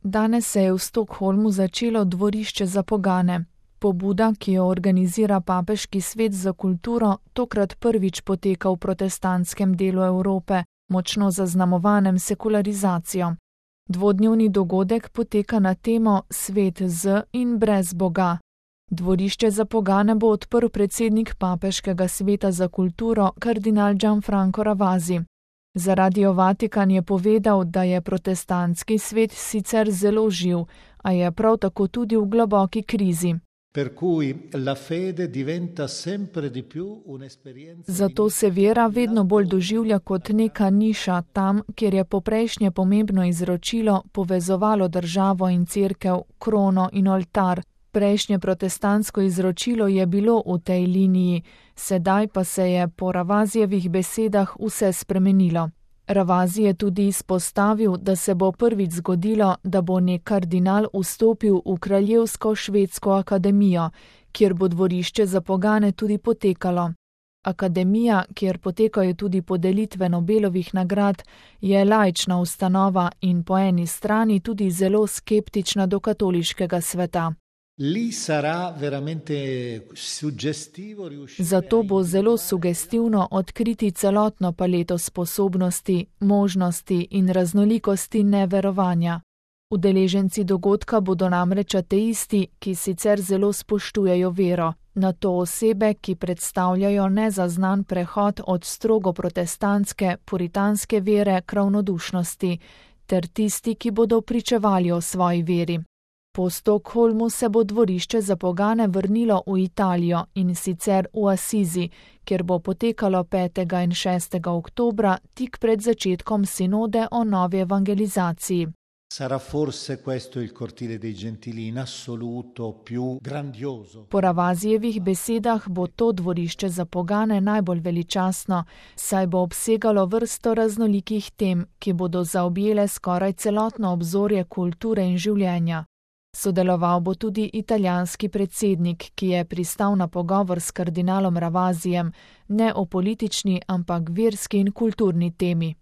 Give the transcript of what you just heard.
Danes se je v Stockholmu začelo dvorišče za pogane. Pobuda, ki jo organizira Papeški svet za kulturo, tokrat prvič poteka v protestantskem delu Evrope, močno zaznamovanem sekularizacijo. Dvodnevni dogodek poteka na temo Svet z in brez Boga. Dvorišče za pogane bo odprl predsednik Papeškega sveta za kulturo kardinal Gianfranco Ravasi. Za Radio Vatikan je povedal, da je protestantski svet sicer zelo živ, a je prav tako tudi v globoki krizi. Zato se vera vedno bolj doživlja kot neka niša tam, kjer je poprejšnje pomembno izročilo povezovalo državo in cerkev, krono in oltar. Prejšnje protestantsko izročilo je bilo v tej liniji, sedaj pa se je po Ravasijevih besedah vse spremenilo. Ravasi je tudi izpostavil, da se bo prvič zgodilo, da bo nek kardinal vstopil v Kraljevsko švedsko akademijo, kjer bo dvorišče za pogane tudi potekalo. Akademija, kjer potekajo tudi podelitve Nobelovih nagrad, je laična ustanova in po eni strani tudi zelo skeptična do katoliškega sveta. Zato bo zelo sugestivno odkriti celotno paleto sposobnosti, možnosti in raznolikosti neverovanja. Udeleženci dogodka bodo namreč ateisti, ki sicer zelo spoštujejo vero, nato osebe, ki predstavljajo nezaznan prehod od strogo protestantske, puritanske vere k ravnodušnosti, ter tisti, ki bodo pričevali o svoji veri. Po Stockholmu se bo dvorišče za pogane vrnilo v Italijo in sicer v Asizi, kjer bo potekalo 5. in 6. oktobra tik pred začetkom sinode o novi evangelizaciji. Po Ravasijevih besedah bo to dvorišče za pogane najbolj veličastno, saj bo obsegalo vrsto raznolikih tem, ki bodo zaobjele skoraj celotno obzorje kulture in življenja. Sodeloval bo tudi italijanski predsednik, ki je pristal na pogovor s kardinalom Ravasijem, ne o politični, ampak verski in kulturni temi.